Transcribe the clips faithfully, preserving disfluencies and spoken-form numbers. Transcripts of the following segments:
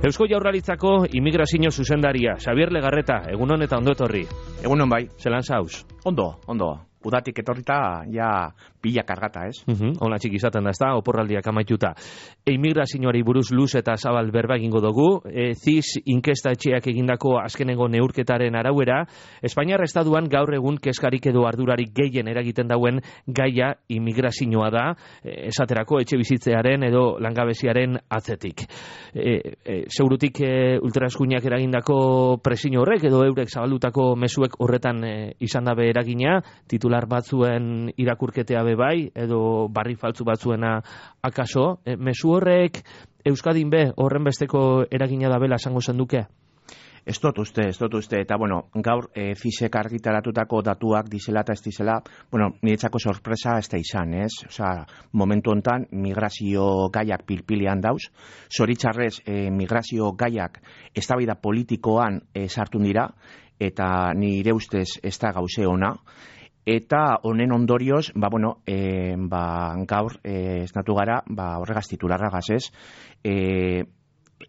Eusko Jaurlaritzako immigrazio zuzendaria, Xabier Legarreta, egunon eta ondo etorri. Egunon bai. Zelan zauz? Ondo, ondo. Udatik etorrita, ja pila kargata, ez? Uh-huh. Ona txiki izaten da, ez da, oporraldiak amaituta. E, immigrazioari buruz luz eta zabal berba egingo dugu. E, ziz inkesta etxeak egindako azkenengo neurketaren arauera, Espainiar Estaduan gaur egun keskarik edo ardurarik gehien eragiten dauen gaia immigrazioa da, e, esaterako etxe bizitzearen edo langabeziaren atzetik. E, e, Segurutik e, ultraeskuinak eragindako presio horrek edo eurek zabaldutako mezuek horretan e, izan dabe eragina, titular batzuen irakurketea bebai, edo barri faltzu batzuena akaso. E, mezu horrek Euskadin be horren besteko eragina da bela esango zenduke? Ez dut uste, ez dut uste, eta bueno, gaur e, fizek argitaratutako datuak dizela eta ez dizela, bueno, niretzako sorpresa ez da izan, ez? Osea, momentu hontan migrazio gaiak pilpilean dauz, zoritxarrez e, migrazio gaiak eztabaida politikoan e, sartu dira, eta nire ustez ez da gauze ona, eta honen ondorioz, ba, bueno, e, ba, gaur e, esnatu gara, ba, horregaz titularragaz ez, e,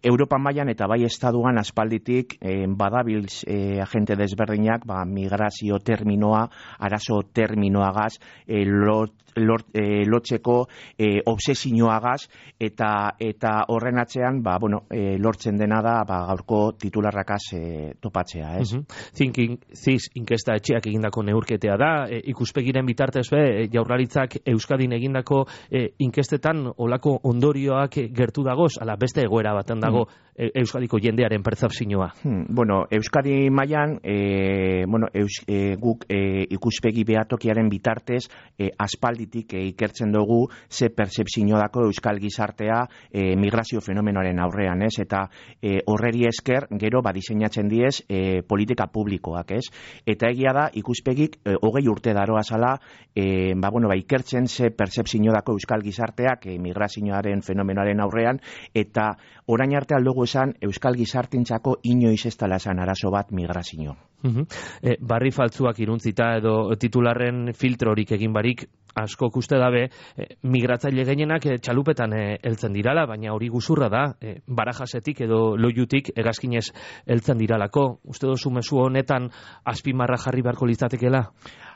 Europa mailan eta bai estaduan aspalditik e, badabilz e, agente desberdinak ba, migrazio terminoa, arazo terminoagaz, e, lot, lot, e, lotzeko e, obsesioagaz, eta eta horren atzean ba, bueno, e, lortzen dena da ba, gaurko titularrakaz e, topatzea, ez? Uh-huh. Thinking, ziz inkesta etxeak egindako neurketea da, e, ikuspegiren bitartez be, e, Jaurlaritzak Euskadin egindako e, inkestetan olako ondorioak gertu dagoz, ala beste egoera baten dago hmm. Euskadiko jendearen pertzepzioa. Hmm. Bueno, Euskadi mailan e, bueno, eus, e, guk e, ikuspegi behatokiaren bitartez e, aspalditik e, ikertzen dugu ze pertzepzio dako Euskal gizartea e, migrazio fenomenoaren aurrean, ez? Eta e, horreri esker gero badiseinatzen diez e, politika publikoak, ez? Eta egia da ikuspegik e, hogei urte daroa zala e, ba, bueno, ba, ikertzen ze pertzepzio dako Euskal gizarteak e, migrazioaren fenomenoaren aurrean, eta orain arte aldugu esan Euskal gizartintzako inoiz ez dela esan arazo bat migrazio. Uh-huh. E, barri faltzuak iruntzita edo titularren filtrorik egin barik asko uste dabe, e, migratzaile gehienak e, txalupetan e, heltzen dirala, baina hori guzurra da, e, barajasetik edo loiutik egazkinez heltzen diralako. Uste dozu mezu honetan azpimarra jarri beharko litzatekela?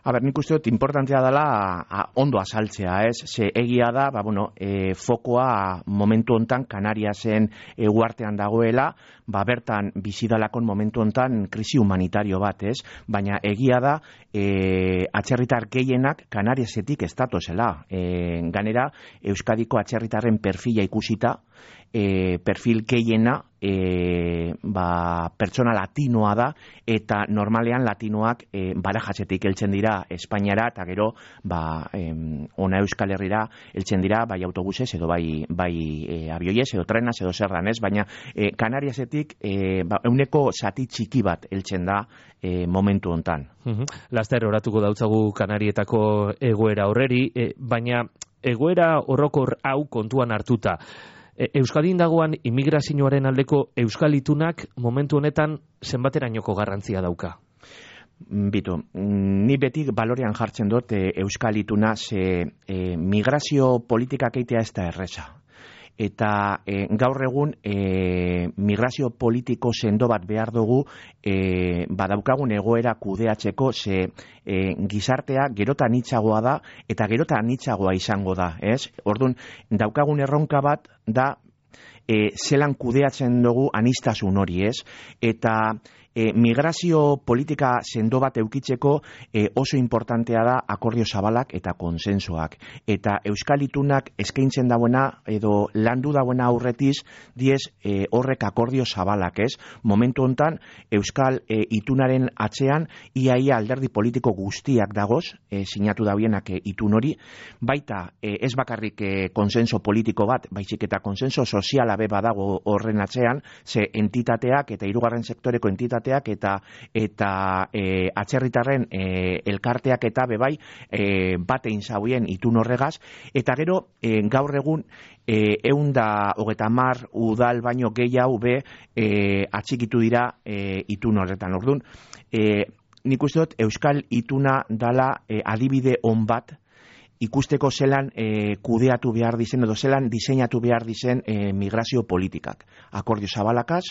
A ber, nik uste dut importantea dela a, ondo azaltzea, ez? Ze egia da, ba, bueno, e, fokoa momentu hontan Kanariasen e, uartean dagoela, ba, bertan bizidalakon momentu hontan krisi humanitario bat, ez? Baina egia da, e, atzerritar gehienak Kanariasetik estatozela. E, ganera, Euskadiko atzerritarren perfila ikusita, e, perfil gehiena e, ba, pertsona latinoa da, eta normalean latinoak e, barajasetik heltzen dira Espainiara, eta gero ba, em, ona Euskal Herrira heltzen dira bai autobusez edo bai, bai e, abioiez edo trenaz edo zerran, ez? Baina e, Kanariasetik e, ba, euneko zati txiki bat heltzen da e, momentu hontan. Uh-huh. Laster oratuko dautzagu Kanarietako egoera horreri, e, baina egoera horrokor hau kontuan hartuta. Euskadin dagoan immigrazioaren aldeko Euskal itunak momentu honetan zenbaterainoko garrantzia dauka? Bitu, ni beti balorean jartzen dut e, Euskal ituna, ze e, migrazio politikak eitea ez da erreza. Eta e, gaur egun e, migrazio politiko sendo bat behar dugu e, badaukagun egoera kudeatzeko, ze e, gizartea gerotan itxagoa da eta gerotan itxagoa izango da, ez? Orduan, daukagun erronka bat da e, zelan kudeatzen dugu anistasun hori, ez? Eta E, migrazio politika sendo bat eukitzeko e, oso importantea da akordio zabalak eta konsensoak. Eta Euskal itunak eskaintzen dauena edo landu dauena aurretiz diez e, horrek akordio zabalak, ez? Momentu hontan Euskal e, itunaren atzean iaia alderdi politiko guztiak dagoz, e, sinatu dauenak e, itun hori, baita e, ez bakarrik e, konsenso politiko bat, baizik eta konsenso soziala be badago horren atzean, ze entitateak eta hirugarren sektoreko entitateak eta eta e, atzerritarren e, elkarteak eta bebai e, batein zauien itun horregaz, eta gero e, gaur egun e, eunda hogeta mar udal baino gehiago be e, atxikitu dira e, itun horretan. Orduan, e, nik uste dut Euskal ituna dala e, adibide on bat ikusteko zelan e, kudeatu behar dizen edo zelan diseinatu behar dizen e, migrazio politikak. Akordio zabalakaz,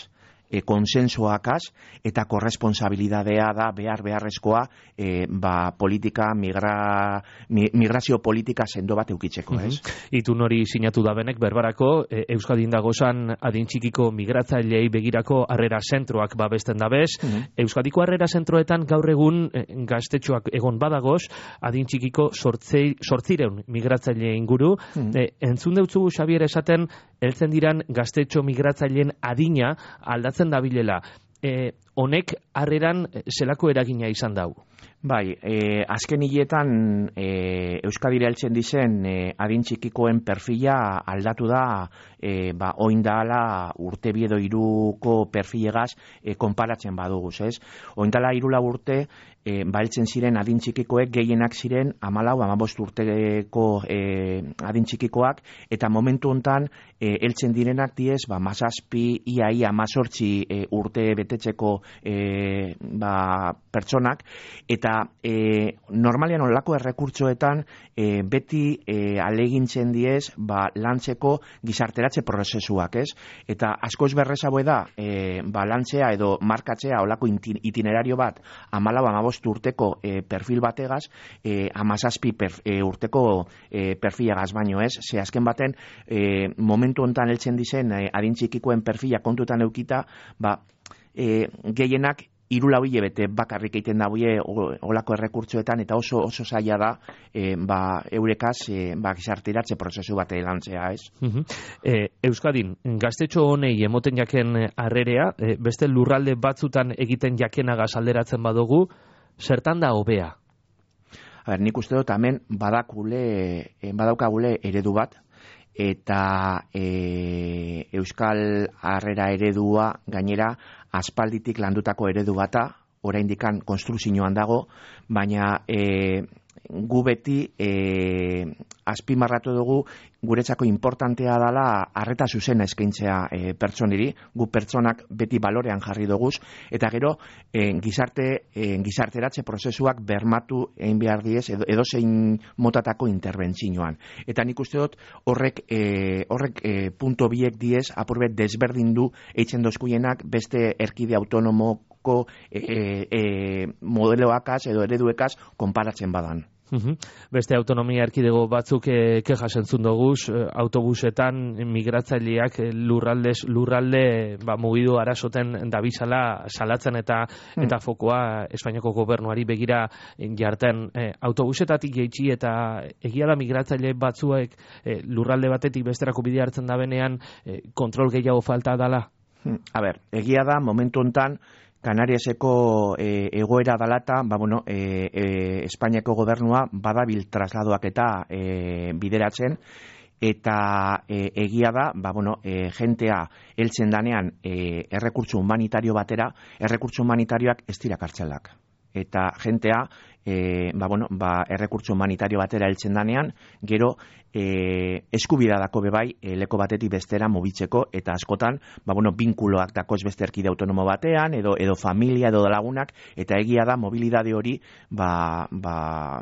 e, konsensuakaz eta korresponsabilidadea da behar beharrezkoa e, ba, politika, migra, mi, migrazio politika sendo bat eukitzeko, ez? Mm-hmm. Itun hori sinatu da benek, berbarako, e, Euskadin dagozan adin txikiko migratzailei begirako harrera zentroak babesten dabez. Mm-hmm. Euskadiko harrera zentroetan gaur egun e, gaztetxoak egon badagoz, adin txikiko sortzei, sortzireun migratzaile inguru. Mm-hmm. E, entzun deutzu, Xabier, esaten, heltzen diran gaztetxo migratzaileen adina aldatzen dabilela. E, honek harreran zelako eragina izan dau? Bai, e, azken hiletan e, Euskadira heltzen dizen e, adin txikikoen perfila aldatu da e, ba, oin dala urte biedo iruko perfilegaz e, konparatzen baduguz, ez? Oin dala irula urte e, ba heltzen ziren adin txikikoek gehienak ziren amalau, amabost urteko e, adin txikikoak, eta momentu hontan e, heltzen direnak diez, ba, mazazpi, ia, ia, mazortzi e, urte betetzeko e, ba, pertsonak, eta E, normalian olako errekurtsoetan e, beti e, alegintzen diez ba, lantzeko gizarteratze prozesuak, ez? Eta askoz berrezago da e, ba, lantzea edo markatzea olako itinerario bat amalau amabost urteko e, perfil bategaz, e, amazazpi per, e, urteko e, perfilagaz baino, ez? Ze azken baten e, momentu hontan heltzen dizen e, adin txikikoen perfila kontutan eukita, ba, e, gehienak hiru hilabete bakarrik egiten daue olako errekurtsoetan, eta oso oso zaila da e, ba, eurekaz e, ba, gizarteratze prozesu bat lantzea, ez? Uh-huh. e, Euskadin, gaztetxo honei emoten jaken harrerea, e, beste lurralde batzutan egiten jakenagaz alderatzen badugu, zertan da hobea? A ber, nik uste dut hemen badakule, badaukagule eredu bat, eta e, Euskal harrera eredua gainera aspalditik landutako eredu bata, oraindikan konstrukzioan dago, baina e, gu beti e, azpimarratu dugu guretzako importantea dela arreta zuzena eskaintzea e, pertsoniri, gu pertsonak beti balorean jarri duguz, eta gero e, gizarte e, gizarteratze prozesuak bermatu egin behar diez edo, edo zein motatako interbentzioan. Eta nik uste dut horrek e, horrek e, punto biek diez apurbet desberdindu eitzen dozkuienak beste erkide autonomoko e, e, modeloakaz edo ereduekaz konparatzen badan. Uhum. Beste autonomia erkidego batzuk e, kejas entzun doguz, e, autobusetan migratzaileak e, lurraldez lurralde ba, mugidu arazoten dabizala salatzen eta mm. eta fokoa Espainiako gobernuari begira jarten. E, autobusetatik jeitsi eta egia da migratzaile batzuek e, lurralde batetik besterako bide hartzen da benean e, kontrol gehiago falta dala? A ber, egia da momentu hontan Kanariaseko e, egoera dalata, ba, bueno, e, e, Espainiako gobernua badabil trasladoak eta e, bideratzen, eta e, egia da, ba, bueno, e, jentea heltzen danean e, errekurtso humanitario batera, errekurtso humanitarioak ez dira kartzelak. Eta jentea e, ba, bueno, ba, errekurtso humanitario batera heltzen danean, gero e, eskubida dako bebai e, leko batetik bestera mugitzeko, eta askotan ba, bueno, binkuloak dakoz beste erkide autonomo batean, edo, edo familia, edo lagunak, eta egia da mobilidade hori ba, ba,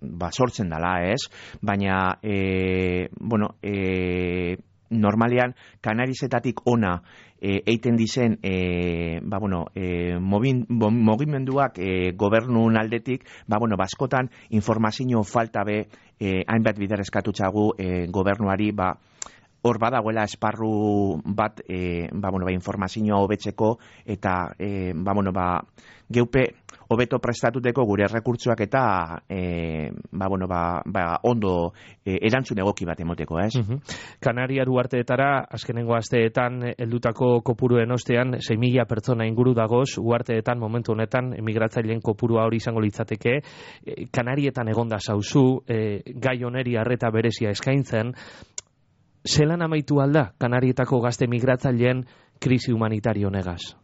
ba sortzen dela, ez? Baina e, bueno, e, normalean Kanarizetatik ona e, eiten dizen e, ba, bueno, e, mobin, mogimenduak e, gobernun aldetik, ba, bueno, baskotan informazio falta be e, hainbat bider eskatutxagu e, gobernuari, ba, hor badagoela esparru bat e, ba, bueno, ba, informazioa hobetzeko, eta e, ba, bueno, ba, geupe hobeto prestatuteko gure errekurtsoak eta e, ba, bueno, ba, ba, ondo e, erantzun egoki bat emoteko, ez? Uh-huh. Kanaria uharteetara azkenengo asteetan heldutako kopuruen ostean sei mila pertsona inguru dagoz, uharteetan momentu honetan emigratzaileen kopurua hori izango litzateke. E, Kanarietan egonda zauzu, e, gai honeri arreta berezia eskaintzen. Zelan amaitu alda Kanarietako gazte migratzaileen krisi humanitario negaz?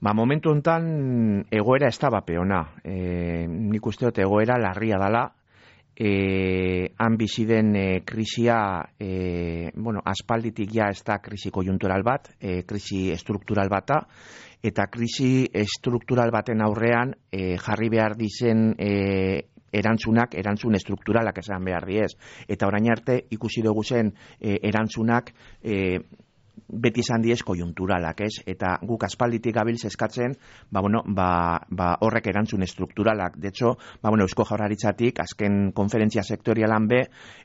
Ba, momentu hontan egoera ez da bapeona. E, nik uste dut egoera larria dala. E, han bizi den e, krisia, e, bueno, aspalditik ja ez da krisi konjuntural bat, e, krisi estruktural bata, eta krisi estruktural baten aurrean e, jarri behar dizen e, erantzunak, erantzun estrukturalak esan behar diez. Eta orain arte ikusi dugu zen e, erantzunak e, beti izan diez kojunturalak, ez? Eta guk aspalditik gabiltz eskatzen, ba, bueno, ba, ba horrek erantzun estrukturalak. De hecho, ba, bueno, Eusko Jaurlaritzatik azken konferentzia sektorialan be,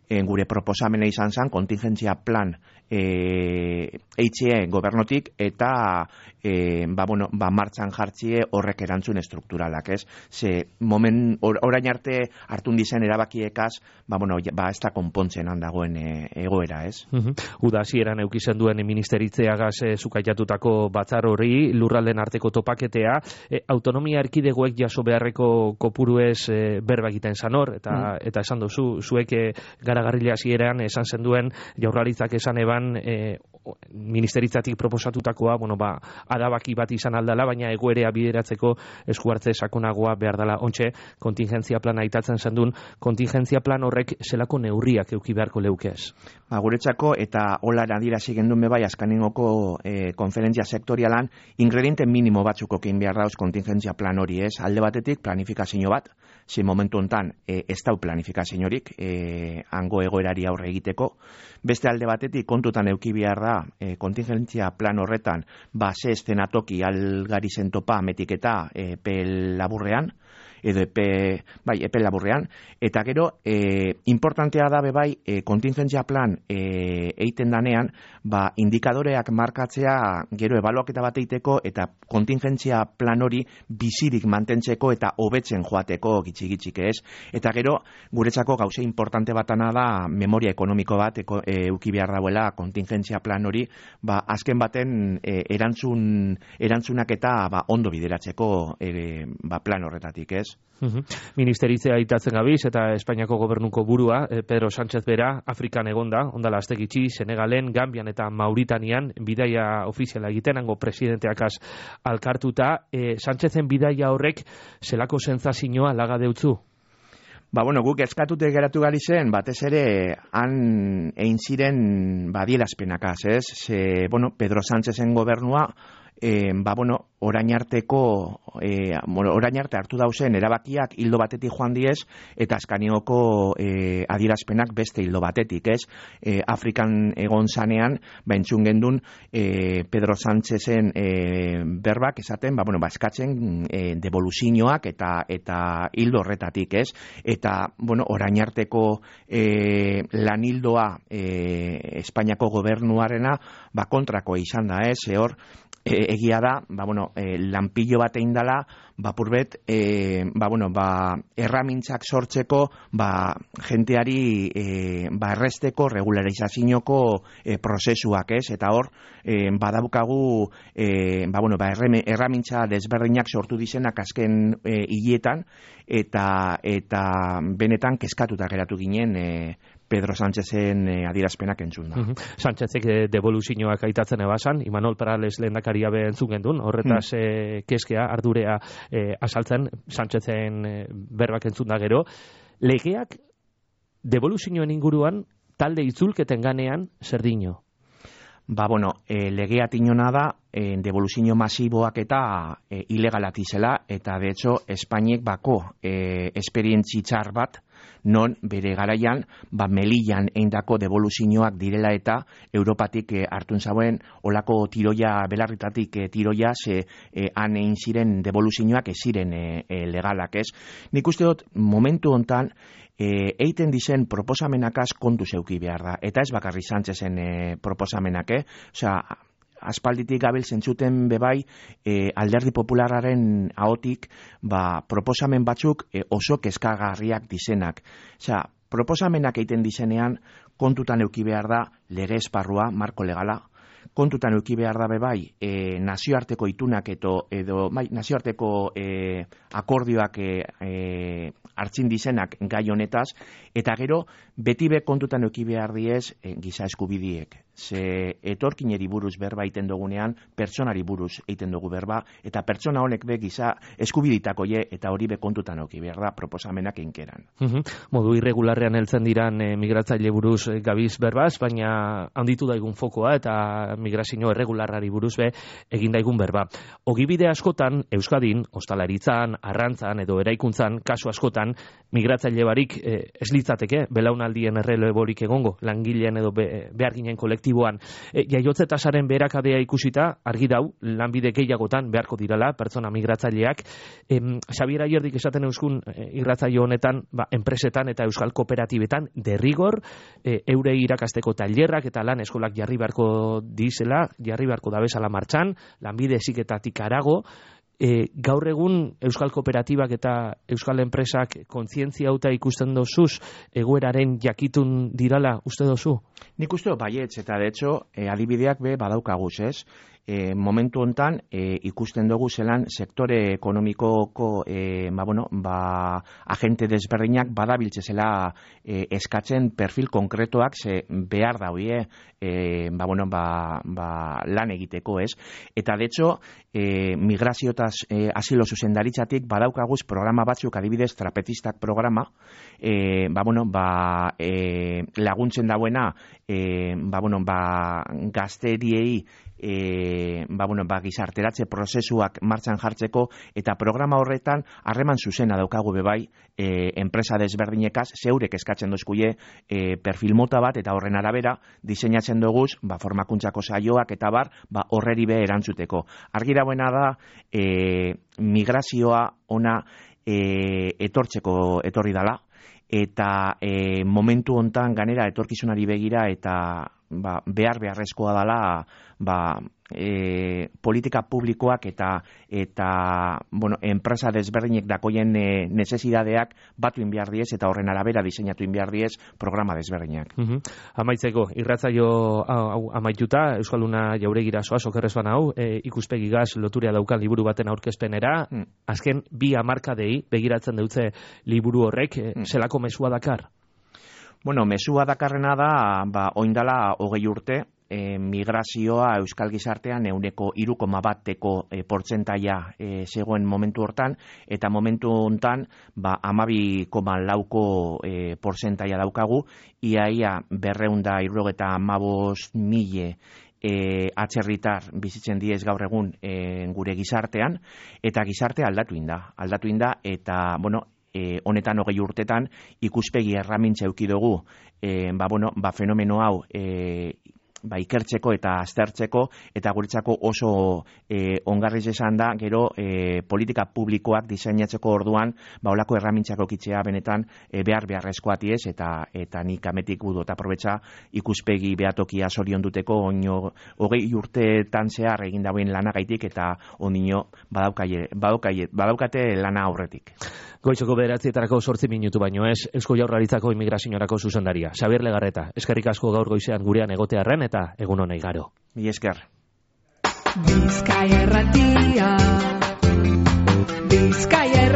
e, gure proposamena izan zen, kontingentzia plan e, eitxe gobernotik eta e, ba, bueno, ba, martxan jartzie horrek erantzun estrukturalak, ez? Ze momen, or, orain arte hartun dizen erabakiekaz, ba, bueno, ba, ez da konpontzen handagoen e, egoera, ez? Uh-huh. Uda hasieran eukizen duen ministeritzeagaz e, zukaiatutako batzar hori, lurralden arteko topaketea, e, autonomia erkidegoek jaso beharreko kopuruez e, berba egiten zanor, eta, mm. eta esan duzu, zuek e, garagarrila hasieran esan zenduen Jaurlaritzak esan eban e, ministeritzatik proposatutakoa, bueno, ba, adabaki bat izan aldala, baina egoerea bideratzeko eskuartze sakonagoa behar dela. Ontxe, kontingentzia plana aitatzen zendun, kontingentzia plan horrek zelako neurriak euki beharko leukez? Ba, guretzako, eta hola adirazi gendun bebai, azkanengoko e, konferentzia sektorialan, ingrediente minimo batzuko kein behar dauz kontingentzia plan hori, ez? Alde batetik, planifikazio bat, ze momentu hontan e, ez dau planifikaziorik e, hango egoerari aurre egiteko. Beste alde batetik, kontutan euki behar da, e, kontingentzia plan horretan, ba, ze estenatoki algari zentopa metiketa e, pel laburrean, edo epe, bai, epe laburrean, eta gero, e, importantea da bebai, e, kontingentzia plan e, eiten danean, ba, indikadoreak markatzea gero ebaluaketa bat eiteko, eta kontingentzia plan hori bizirik mantentzeko eta hobetzen joateko gitxi-gitxik, ez? Eta gero, guretzako gauze importante batana da memoria ekonomiko bat eko, e, euki behar dauela kontingentzia plan hori, ba, azken baten e, erantzun, erantzunak eta ba, ondo bideratzeko e, ba, plan horretatik, ez? Uhum. Ministeritzea aitatzen gabiz eta Espainiako gobernuko burua, eh, Pedro Sánchez bera, Afrikan egonda, ondala astegitxi, Senegalen, Gambian eta Mauritanian bidaia ofiziala egiten, hango presidenteakaz alkartuta. Eh, Sánchezen bidaia horrek zelako sentsazioa laga deutzu? Ba, bueno, guk eskatute geratu gari zen, batez ere, han egin ziren badierazpenakaz, ez? Ze, bueno, Pedro Sánchezen gobernua, E, ba, bueno, orain arteko e, orain arte hartu dauzen erabakiak hildo batetik joan diez eta askanioko e, adierazpenak beste hildo batetik, ez? E, Afrikan egon zanean, ba, entzun gendun e, Pedro Sánchezen e, berbak esaten, ba, bueno, ba, eskatzen e, devoluzioak eta eta hildo horretatik, ez? Eta, bueno, orain arteko e, lan hildoa e, Espainiako gobernuarena, ba, kontrako izan da, ez? E, hor, E, egia da, ba, bueno, e, lanpillo bat egin dela, ba, purbet, e, ba, bueno, ba, erramintzak sortzeko, ba, jenteari, e, ba, erresteko, regularizazioko e, prozesuak, ez? Eta hor, e, badaukagu, e, ba, bueno, ba, erramintza desberdinak sortu dizenak azken e, hilietan, eta, eta benetan kezkatuta geratu ginen, e, Pedro Sánchezen eh, adierazpenak entzun da. Uh-huh. Sánchezek eh, devoluzioak aitatzen ebasan, Imanol Perales lehendakaria be entzun gendun, horretaz mm. eh, keskea, ardurea eh, asaltzen, Sánchezen eh, berbak entzun da gero. Legeak devoluzioen inguruan talde itzulketen ganean zer dino? Ba, bueno, e, legea tinona da, e, devoluzio masiboak eta e, ilegalak izela, eta de hecho, Espainiek bako e, esperientzi txar bat, non bere garaian, ba, Melillan eindako devoluzioak direla eta Europatik e, hartun zauen olako tiroia, belarritatik e, tiroia, ze e, han egin ziren devoluzioak ez ziren e, e, legalak, ez? Nik uste dut, momentu hontan, E, eiten dizen proposamenakaz kontu zeuki behar da. Eta ez bakarri Sánchezen e, proposamenak, eh? Osea, aspalditik gabil zentzuten bebai e, alderdi populararen ahotik ba, proposamen batzuk e, oso kezkagarriak dizenak. Osea, proposamenak eiten dizenean kontutan euki behar da lege esparrua, marko legala, kontutan euki behar da bebai e, nazioarteko itunak eto, edo bai, nazioarteko e, akordioak e, e, hartzin dizenak gai honetaz, eta gero beti be kontutan euki behar diez e, giza eskubidiek. ze etorkineri buruz berba egiten dugunean, pertsonari buruz egiten dugu berba, eta pertsona honek be giza eskubiditakoie eta hori be kontutan oki behar da proposamenak inkeran. Modu irregularrean heltzen diran e, migratzaile buruz e, gabiz berbaz, baina handitu daigun fokoa eta migrazio erregularrari buruz be egin daigun berba. Ogibide askotan, Euskadin, ostalaritzan, arrantzan edo eraikuntzan, kasu askotan, migratzaile barik e, ez litzateke, belaunaldien erreleborik egongo, langileen edo be, behar ginen kolektiboan. E, jaiotze tasaren beherakadea ikusita, argi dau, lanbide gehiagotan beharko dirala, pertsona migratzaileak. E, Xabier Ayerdik esaten euskun e, irratzaio honetan, ba, enpresetan eta euskal kooperatibetan derrigor, e, eurei irakasteko tailerrak eta lan eskolak jarri beharko dizela, jarri beharko dabezala martxan, lanbide heziketatik harago. E, gaur egun euskal kooperatibak eta euskal enpresak kontzientzia hauta ikusten dozuz, egoeraren jakitun dirala uste dozu? Nik uste baietz, eta de hecho, e, adibideak be badaukaguz, ez? E, momentu hontan e, ikusten dugu zelan sektore ekonomikoko e, ba, bueno, ba, agente desberdinak badabiltze zela e, eskatzen perfil konkretoak ze behar daude e, ba, bueno, ba, ba, lan egiteko, ez? Eta de hecho, e, migraziotaz e, asilo zuzendaritzatik badaukaguz programa batzuk, adibidez trapetistak programa, e, ba, bueno, ba, e, laguntzen dauena e, ba, bueno, ba, gazteriei E, ba, bueno, ba, gizarteratze prozesuak martxan jartzeko eta programa horretan harreman zuzena daukagu bebai e, enpresa desberdinekaz zeurek eskatzen dozkuie e, perfil mota bat eta horren arabera diseinatzen duguz ba, formakuntzako saioak eta bar ba, horreri be erantzuteko. Argi dagoena da e, migrazioa ona e, etortzeko etorri dala eta e, momentu hontan ganera etorkizunari begira eta ba, behar beharrezkoa dala ba, e, politika publikoak eta eta bueno, enpresa desberdinek dakoien e, necesidades batu inbiar diez eta horren arabera diseinatu inbiar diez programa desberdinak. Uh-huh. Amaitzeko, irratzaio hau amaituta, Euskalduna jauregira soaz, okerrez bana hau, e, ikuspegigaz loturia daukan liburu baten aurkezpenera, mm. azken bi hamarkadei begiratzen dutze liburu horrek, e, mm. zelako mesua dakar? Bueno, mesua dakarrena da, ba, oindala hogei urte, E, migrazioa euskal gizartean euneko hiru koma bateko e, portzentaia e, zegoen momentu hortan, eta momentu hontan ba, hamabi koma lauko e, portzentaia daukagu, iaia berreunda irrogeta hamabost mile e, atzerritar bizitzen diez gaur egun e, gure gizartean, eta gizarte aldatu inda, aldatu inda, eta, bueno, E, honetan hogei urtetan ikuspegi erramintza eduki dugu e, ba, bueno, ba, fenomeno hau e, ba, ikertzeko eta aztertzeko eta guretzako oso e, ongarriz esan da gero e, politika publikoak diseinatzeko orduan ba, olako erramintzako kitzea benetan e, behar beharrezkoa tiez eta, eta nik ametik gudu eta aprobetxa ikuspegi behatokia zorion duteko oino hogei urteetan zehar egin dauen lanagaitik eta ondino badaukate, badaukate, badaukate lana aurretik. Goizoko bederatzietako sortzi minutu baino ez, Eusko Jaurlaritzako immigraziorako zuzendaria. Xabier Legarreta, eskerrik asko gaur goizean gurean egotearren eta egun honei garo. Mi esker. Bizkaia erratia, Bizkaia